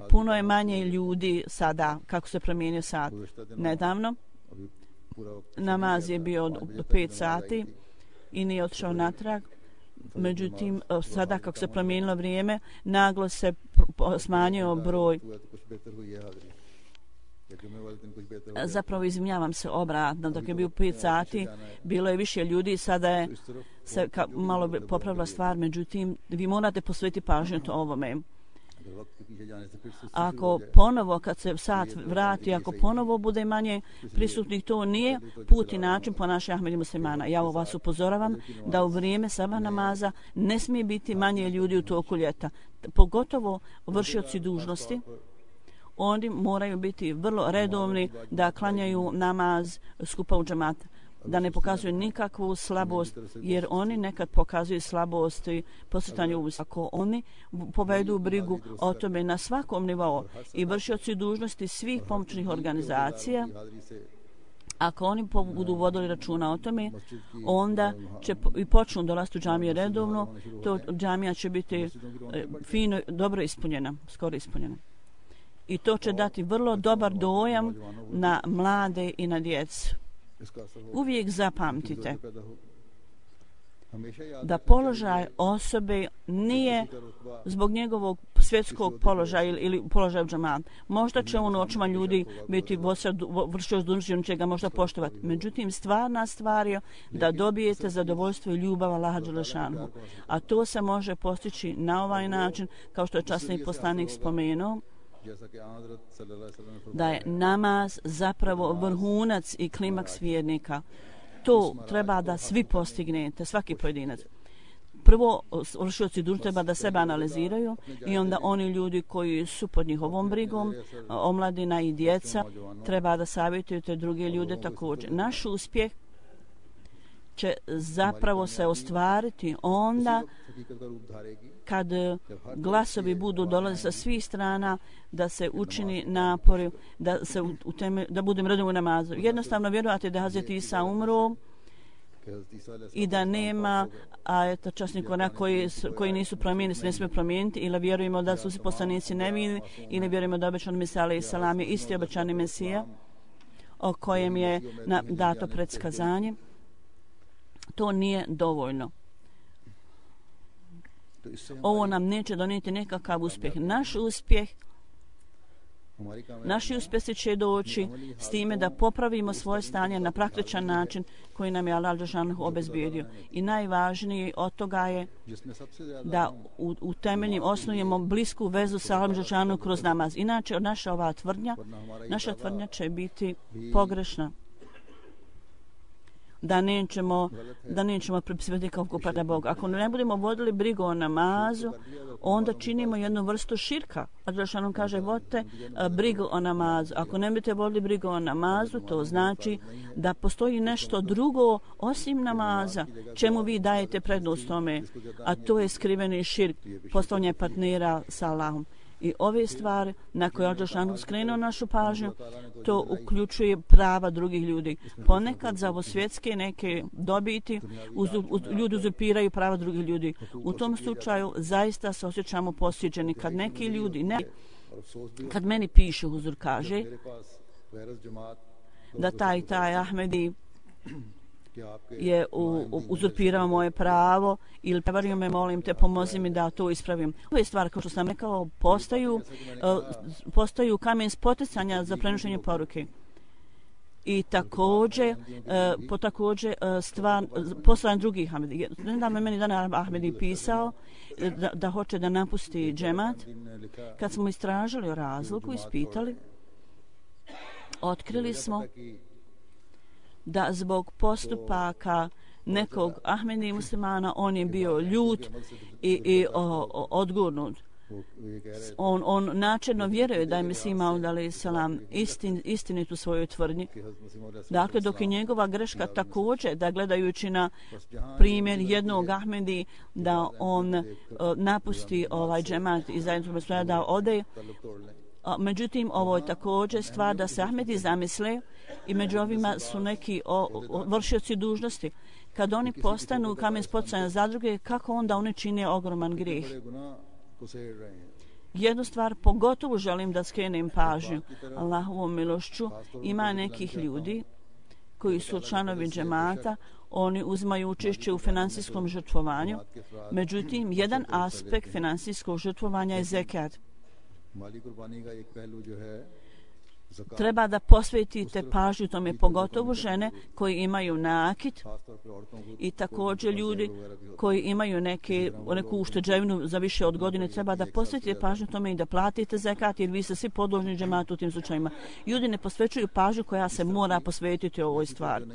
puno je manje ljudi sada, kako se promijenio sat. Nedavno namaz je bio do 5 sati i nije otišao natrag. Međutim, sada kako se promijenilo vrijeme, naglo se smanjio broj. Zapravo izvinjavam se obratno, dok je bio 5 sati, bilo je više ljudi, sada je se malo popravila stvar, međutim, vi morate posvetiti pažnju ovome. Ako ponovo, kad se sat vrati, ako ponovo bude manje prisutnih, to nije put i način ponašanja Ahmedi muslimana. Ja vas upozoravam da u vrijeme sabah namaza ne smije biti manje ljudi u toku ljeta. Pogotovo vršioci dužnosti. Oni moraju biti vrlo redovni da klanjaju namaz skupa u džemata, da ne pokazuju nikakvu slabost, jer oni nekad pokazuju slabost i posjetanju uvis. Ako oni povedu brigu o tome na svakom nivou i vršioci dužnosti svih pomoćnih organizacija, ako oni budu vodili računa o tome, onda će i počnu dolaziti u džamije redovno, to džamija će biti fino, dobro ispunjena, skoro ispunjena. I to će dati vrlo dobar dojam na mlade i na djecu. Uvijek zapamtite da položaj osobe nije zbog njegovog svjetskog položaja ili položaja u džamatu. Možda će on u očima ljudi biti vršioc dužnosti, on će ga možda poštovati. Međutim, stvarna stvar je da dobijete zadovoljstvo i ljubav Allaha Đelešanuhu. A to se može postići na ovaj način, kao što je časni poslanik spomenuo, da je namaz zapravo vrhunac i klimaks vjernika. To treba da svi postignete, svaki pojedinac. Prvo, vršioci dužnosti treba da sebe analiziraju i onda oni ljudi koji su pod njihovom brigom, omladina i djeca, treba da savjetuju te druge ljude također. Naš uspjeh će zapravo se ostvariti onda kad glasovi budu dolaze sa svih strana, da se učini napori, da budem redom u namazu. Jednostavno vjerovati da Hazreti Isa umro i da nema ajeta časnika koji nisu promijenili, se ne smije promijeniti, ili vjerujemo da su svi poslanici nevini, ili vjerujemo da obećan Mesija alejhi selam je isti obećani Mesija o kojem je dato predskazanje. To nije dovoljno. Ovo nam neće donijeti nekakav uspjeh. Naši uspjesi će doći s time da popravimo svoje stanje na praktičan način koji nam je Allah Đelešanuhu obezbijedio. I najvažnije od toga je da u temeljnim osnujemo blisku vezu sa Allahom Đelešanuhu kroz namaz. Inače, naša tvrdnja će biti pogrešna. Da nećemo pripisivati kao kupada Boga. Ako ne budemo vodili brigu o namazu, onda činimo jednu vrstu širka. A Đelešanuhu kaže, vodite brigu o namazu. Ako ne budete vodili brigu o namazu, to znači da postoji nešto drugo osim namaza, čemu vi dajete prednost tome, a to je skriveni širk, postavljanje partnera sa Allahom. I ove stvari na koje je Đelešanuhu skrenuo našu pažnju, to uključuje prava drugih ljudi. Ponekad za ovo svjetske neke dobiti ljudi uzurpiraju prava drugih ljudi. U tom slučaju zaista se osjećamo posjećeni kad neki ljudi kad meni piše, Huzur kaže, da taj Ahmedi je uzurpirao moje pravo ili prevario me, molim te, pomozi mi da to ispravim. Ove stvari, kao što sam rekao, postaju kamen spoticanja za prenošenje poruke. I također stvar poslan drugih Ahmedi. Nedavno meni dan Ahmedi pisao da hoće da napusti džemat. Kad smo istražili o razlogu, ispitali, otkrili smo da zbog postupaka nekog Ahmedi muslimana on je bio ljut i odgurnut. On načelno vjeruje da je Mesih Maud alejhi selam istinit u svojoj tvrdnji. Dakle, dok je njegova greška također da gledajući na primjer jednog Ahmedi da on napusti ovaj džemat i zajedno da ode. Međutim, ovo je također stvar da se Ahmedi zamisle i među ovima su neki vršioci dužnosti. Kad oni postanu kamen spoticanja za druge, kako onda oni čine ogroman grijeh? Jednu stvar pogotovo želim da skrenem pažnju. Allahovom milošću ima nekih ljudi koji su članovi džemata, oni uzmaju učešće u finansijskom žrtvovanju. Međutim, jedan aspekt finansijskog žrtvovanja je zekat. Treba da posvetite pažnju tome, pogotovo žene koji imaju nakit i također ljudi koji imaju neku ušteđevinu za više od godine. Treba da posvetite pažnju tome i da platite zekat, jer vi ste svi podložni džematu u tim slučajima. Ljudi ne posvećuju pažnju koja se mora posvetiti ovoj stvari.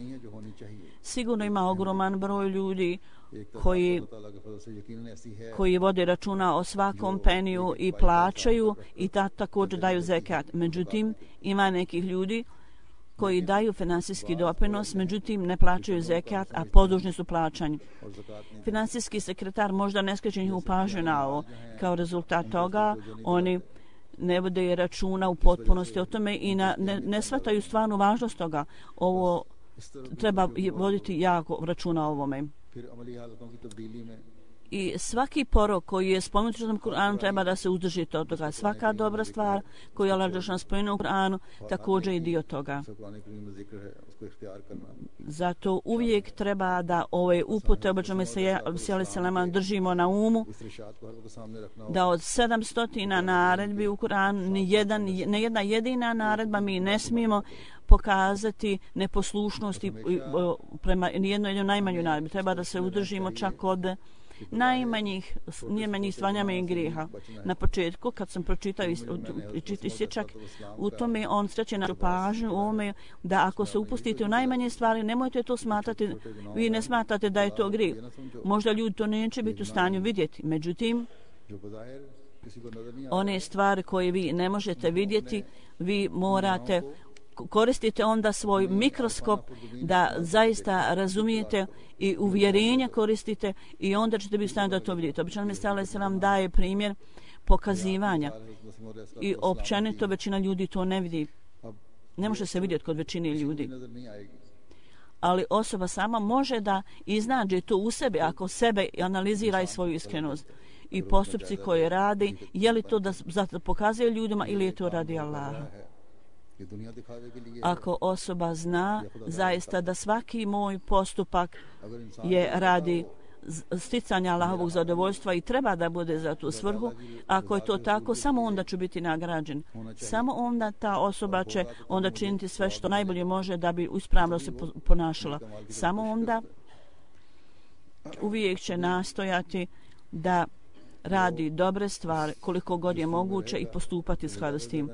Sigurno ima ogroman broj ljudi koji vode računa o svakom peniju i plaćaju i također daju zekat. Međutim, ima nekih ljudi koji daju finansijski doprinos, međutim ne plaćaju zekat, a podložni su plaćanju. Finansijski sekretar možda ne skreće njihovu pažnju na ovo. Kao rezultat toga oni ne vode računa u potpunosti o tome i ne shvataju stvarnu važnost toga. Ovo treba voditi jako računa o ovome. I svaki porok koji je spomenut u Kur'anu treba da se uzdrži od toga. Svaka dobra stvar koju je Allah dželešan spomenuo u Kur'anu također je dio toga. Zato uvijek treba da ove upute obraćamo se selema držimo na umu, da od 700 naredbi u Kur'anu ne jedna jedina naredba mi ne smijemo pokazati neposlušnosti prema nijednoj najmanjoj naredbi. Treba da se udržimo čak od najmanjih stvaranja i grijeha. Na početku, kad sam pročitao isječak, u tome on sreće našu pažnju u ovome da ako se upustite u najmanje stvari, nemojte to smatrati, vi ne smatrate da je to grijeh. Možda ljudi to neće biti u stanju vidjeti. Međutim, one stvari koje vi ne možete vidjeti, vi morate koristite onda svoj mikroskop da zaista razumijete i uvjerenja koristite i onda ćete biti u stanju da to vidite. Obično Mesih alejhi selam daje primjer pokazivanja i općenito većina ljudi to ne vidi. Ne može se vidjeti kod većine ljudi. Ali osoba sama može da iznađe to u sebi ako sebe analizira i svoju iskrenost. I postupci koje radi, je li to da pokazuje ljudima ili je to radi Allaha. Ako osoba zna zaista da svaki moj postupak je radi sticanja Allahovog zadovoljstva i treba da bude za tu svrhu, ako je to tako, samo onda ću biti nagrađen. Samo onda ta osoba će onda činiti sve što najbolje može da bi ispravno se ponašala. Samo onda uvijek će nastojati da radi dobre stvari koliko god je moguće i postupati u skladu s tim.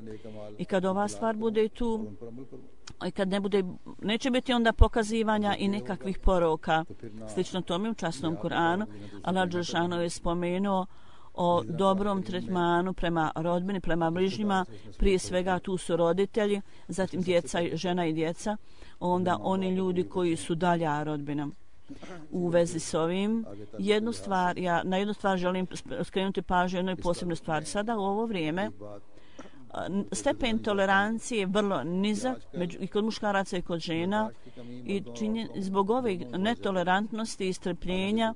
I kad ova stvar bude tu, i kad neće biti onda pokazivanja i nekakvih poroka. Slično tome u časnom Kur'anu, Allah dželešanu je spomenuo o dobrom tretmanu prema rodbini, prema bližnjima, prije svega tu su roditelji, zatim djeca, žena i djeca, onda oni ljudi koji su dalja rodbina. U vezi s ovim, na jednu stvar želim skrenuti pažnju jednoj posebnoj stvari. Sada u ovo vrijeme stepen tolerancije je vrlo nizak i kod muškaraca i kod žena i zbog ove netolerantnosti i strpljenja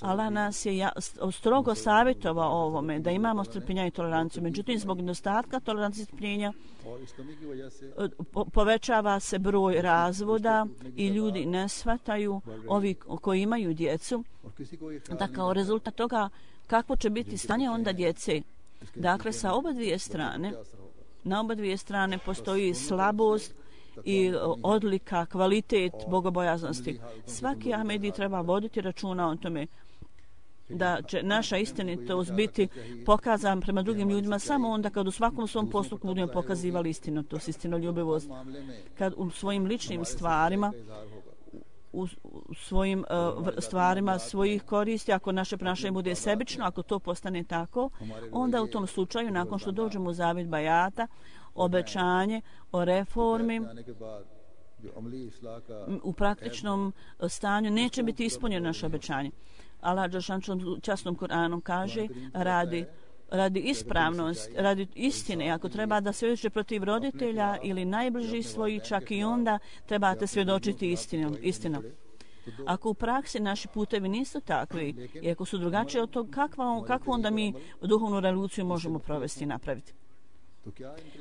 Allah nas je strogo savjetovao o ovome, da imamo strpljenja i toleranciju. Međutim, zbog nedostatka tolerancije i strpljenja povećava se broj razvoda i ljudi ne shvataju, ovi koji imaju djecu, da kao rezultat toga kako će biti stanje onda djece. Dakle, sa oba dvije strane, na oba dvije strane postoji slabost i odlika, kvalitet bogobojaznosti. Svaki Ahmedi treba voditi računa o tome da će naša istinitost biti pokazana prema drugim ljudima samo onda kad u svakom svom postupku budemo pokazivali istinitost, istinoljubivost. Kad u svojim ličnim stvarima, u svojim stvarima svojih koristi, ako naše ponašanje bude sebično, ako to postane tako, onda u tom slučaju, nakon što dođemo u zavjet bajata, obećanje o reformi u praktičnom stanju neće biti ispunjeno naše obećanje. Allah dželešanu časnom Kur'anom kaže radi ispravnosti, radi istine, ako treba da svjedočite protiv roditelja ili najbližih svojih, čak i onda trebate svjedočiti istinom. Ako u praksi naši putevi nisu takvi i ako su drugačiji od toga, kakvu onda mi duhovnu revoluciju možemo provesti i napraviti?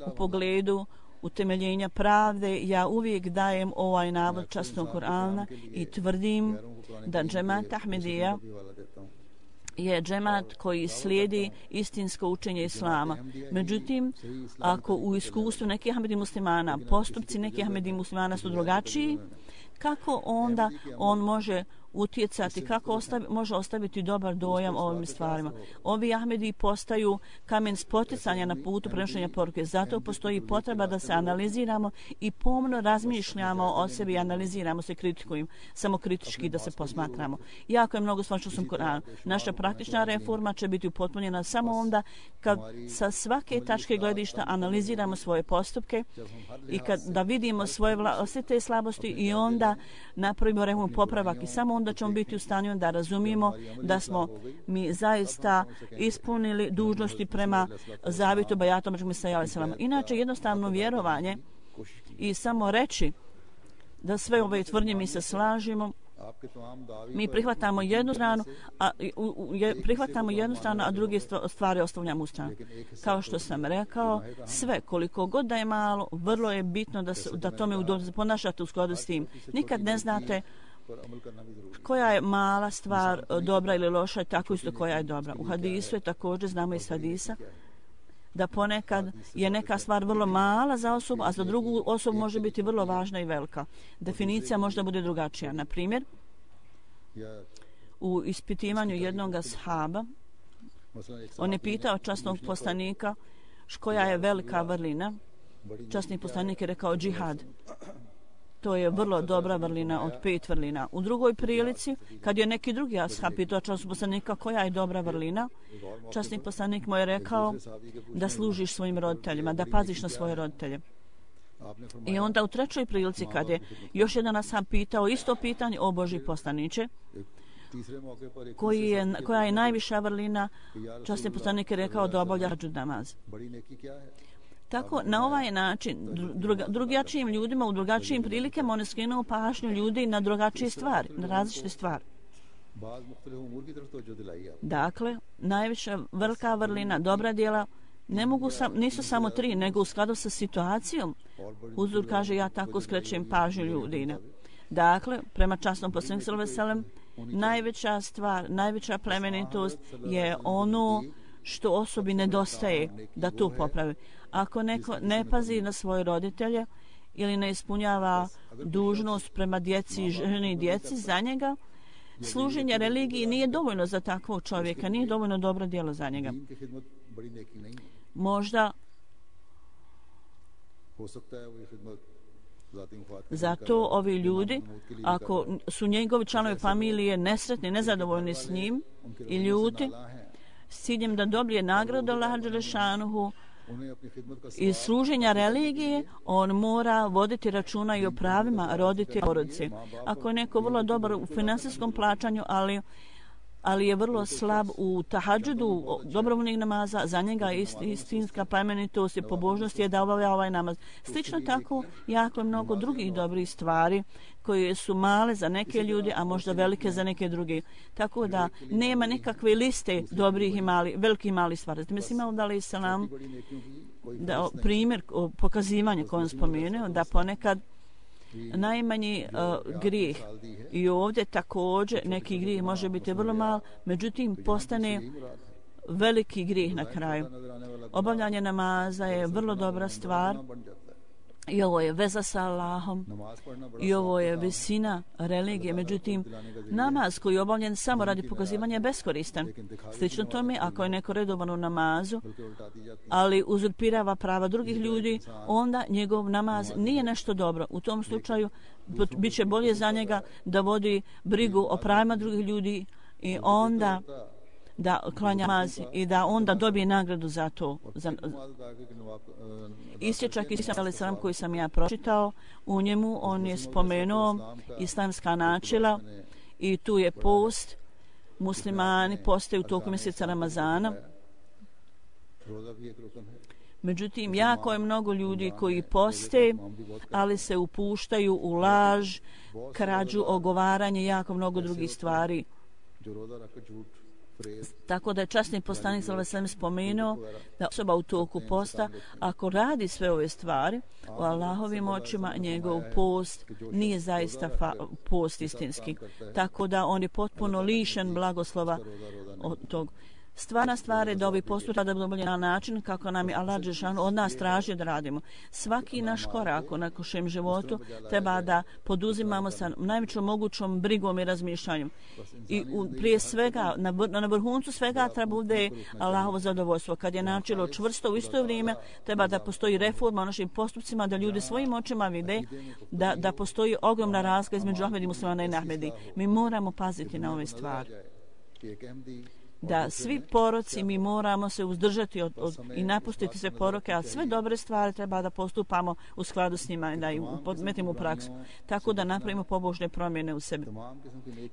U pogledu utemeljenja pravde ja uvijek dajem ovaj navod časnog Kur'ana i tvrdim da džemat Ahmedija je džemat koji slijedi istinsko učenje Islama. Međutim, ako u iskustvu nekih Ahmedi muslimana, postupci nekih Ahmedi muslimana su drugačiji, kako onda on može utjecati, kako može ostaviti dobar dojam o ovim stvarima? Ovi Ahmedi postaju kamen spoticanja na putu prenošenja poruke. Zato postoji potreba da se analiziramo i pomno razmišljamo o sebi, analiziramo se, kritikujemo, samo kritički da se posmatramo. Jako je mnogo stvari što sam Kur'an. Naša praktična reforma će biti upotpunjena samo onda kad sa svake tačke gledišta analiziramo svoje postupke i da vidimo sve te slabosti i onda napravimo reformu popravak i samo onda ćemo biti u stanju da razumijemo da smo mi zaista ispunili dužnosti prema zavjetu bajata među sallallahu. Inače, jednostavno vjerovanje i samo reći da sve ove tvrdnje mi se slažemo, mi prihvatamo jednu stranu, a druge stvari ostavljamo u stranu. Kao što sam rekao, sve, koliko god da je malo, vrlo je bitno da tome ponašate u skladu s tim. Nikad ne znate koja je mala stvar dobra ili loša, tako isto koja je dobra. U hadisu je također, znamo iz hadisa, da ponekad je neka stvar vrlo mala za osobu, a za drugu osobu može biti vrlo važna i velika. Definicija možda bude drugačija. Na primjer, u ispitivanju jednog ashaba, on je pitao časnog poslanika koja je velika vrlina. Časni poslanik je rekao džihad. To je vrlo dobra vrlina od 5 vrlina. U drugoj prilici, kad je neki drugi ashab pitao časnog poslanika koja je dobra vrlina, časni poslanik mu je rekao da služiš svojim roditeljima, da paziš na svoje roditelje. I onda u trećoj prilici, kad je još jedan ashab pitao isto pitanje, o Božji poslaniče, koja je najviša vrlina, časni poslanik je rekao da obavlja hadžud namaz. Tako, na ovaj način, drugačijim ljudima u drugačijim prilikama on je skrenuo pažnju ljudi na drugačije stvari, na različite stvari. Dakle, najviša velika vrlina, dobra djela, nisu samo 3, nego u skladu sa situacijom. Huzur kaže, ja tako skrećem pažnju ljudina. Dakle, prema časnom poslaniku sallallahu alejhi ve sellem, najveća stvar, najveća plemenitost je ono što osobi nedostaje da to popravi. Ako neko ne pazi na svoje roditelje ili ne ispunjava dužnost prema djeci, ženi i djeci za njega, služenje religiji nije dovoljno za takvog čovjeka, nije dovoljno dobro djelo za njega. Možda zato ovi ljudi, ako su njegovi članovi familije nesretni, nezadovoljni s njim i ljuti, s ciljem da dobije nagradu Allaha dželešanuhu iz služenja religije, on mora voditi računa i o pravima roditelja porodice. Ako je neko vrlo dobar u finansijskom plaćanju, ali ali je vrlo slab u tahadžudu, dobrovoljnih namaza, za njega istinska plemenitost i pobožnost je da obavlja ovaj namaz. Slično tako, jako je mnogo drugih dobrih stvari koje su male za neke ljude, a možda velike za neke druge. Tako da nema nikakve liste dobrih i velikih i malih stvari. Mislim, da se nam primjer pokazivanja koji on spomenuo, da ponekad najmanji grijeh i ovdje također neki grijeh može biti vrlo mal, međutim postane veliki grijeh na kraju. Obavljanje namaza je vrlo dobra stvar i ovo je veza sa Allahom i ovo je visina religije. Međutim, namaz koji je obavljen samo radi pokazivanja je beskoristan. Slično tome, ako je neko redovan u namazu, ali uzurpirava prava drugih ljudi, onda njegov namaz nije nešto dobro. U tom slučaju bit će bolje za njega da vodi brigu o pravima drugih ljudi i onda da klanja namaz i da onda dobije nagradu za to. Isječak Isa a.s. koji sam ja pročitao, u njemu on je spomenuo islamska načela i tu je post. Muslimani postaju u toku mjeseca Ramazana. Međutim, jako je mnogo ljudi koji poste, ali se upuštaju u laž, krađu, ogovaranje, jako mnogo drugih stvari. Tako da je časni poslanik sallallahu alejhi ve sellem spomenuo da osoba u toku posta, ako radi sve ove stvari, u Allahovim očima njegov post nije zaista post istinski. Tako da on je potpuno lišen blagoslova od tog. Stvarna stvar je da ovi postupak da bude na način kako nam je Allah dželešanu od nas traži da radimo. Svaki naš korak u našem životu treba da poduzimamo sa najvećom mogućom brigom i razmišljanjem. I prije svega, na vrhuncu svega treba bude Allahovo zadovoljstvo. Kad je načelo čvrsto, u isto vrijeme treba da postoji reforma u našim postupcima, da ljudi svojim očima vide da postoji ogromna razlika između Ahmedi muslimana i Nahmedi. Mi moramo paziti na ove stvari. Da svi poroci mi moramo se uzdržati i napustiti sve poroke, a sve dobre stvari treba da postupamo u skladu s njima i da ih podmetimo u praksu. Tako da napravimo pobožne promjene u sebi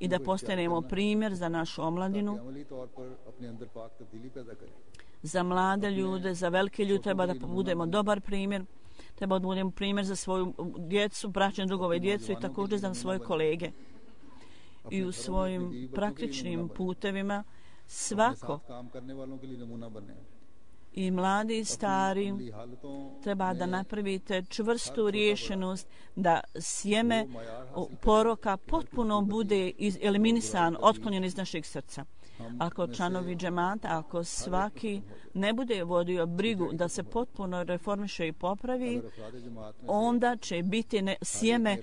i da postanemo primjer za našu omladinu, za mlade ljude, za velike ljude treba da budemo dobar primjer, treba da budemo primjer za svoju djecu, braćne drugove djecu i također za svoje kolege. I u svojim praktičnim putevima svako i mladi i stari treba da napravite čvrstu rješenost da sjeme poroka potpuno bude eliminisan, otklonjen iz našeg srca. Ako članovi džemata, ako svaki ne bude vodio brigu da se potpuno reformiše i popravi, onda će biti sjeme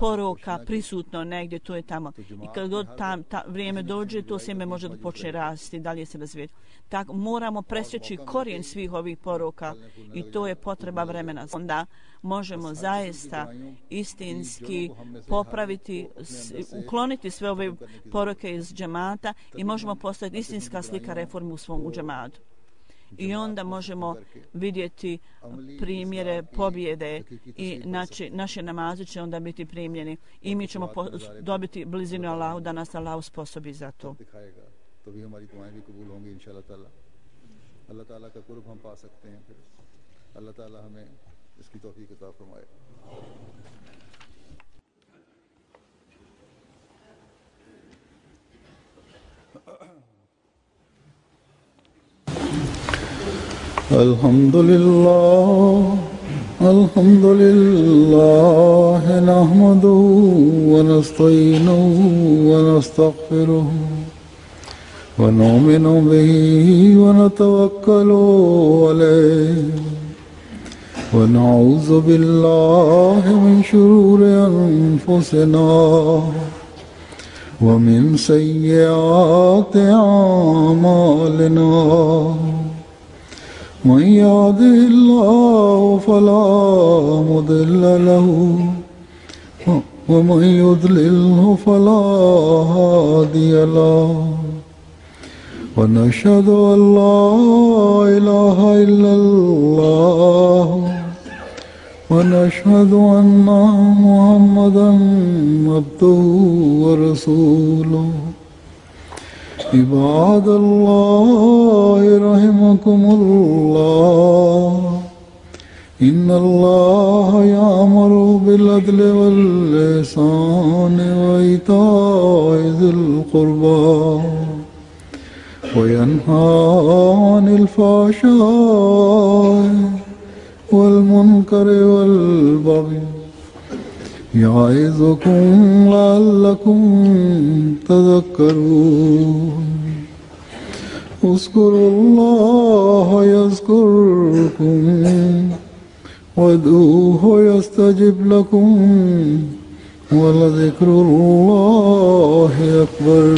poroka prisutno negdje, to je tamo. I kad god vrijeme dođe, to sjeme može da počne rasti, dalje se razvijeti. Tako moramo presjeći korijen svih ovih poroka i to je potreba vremena. Onda možemo zaista istinski popraviti, ukloniti sve ove poroke iz džemata i možemo postaviti istinska slika reformu u svom džematu. I onda možemo vidjeti primjere pobjede i naše namaze će onda biti primljeni i mi ćemo dobiti blizinu Allahu da nas Allah usposobi za to. तो भी हमारी दुआएं भी कबूल होंगी इंशाअल्लाह ताला। अल्लाह ताला का कुर्ब हम पा सकते हैं फिर अल्लाह ताला हमें इसकी तौफीक अता फरमाए। अल्हम्दुलिल्लाह नहमदुहु व नस्तईनुहु व नस्तगफिरुहु ونؤمن به ونتوكل عليه ونعوذ بالله من شرور أنفسنا ومن سيئات أعمالنا من يهده الله فلا مضل له ومن يضلله فلا هادي له ونشهد أن لا إله إلا الله ونشهد أن محمدا عبده ورسوله عباد الله رحمكم الله إن الله يأمر بالعدل والإحسان وإيتاء ذي القربى وينهى عن الفحشاء والمنكر والبغي يعظكم لعلكم تذكرون اذكروا الله يذكركم وادعوه يستجب لكم ولذكر الله أكبر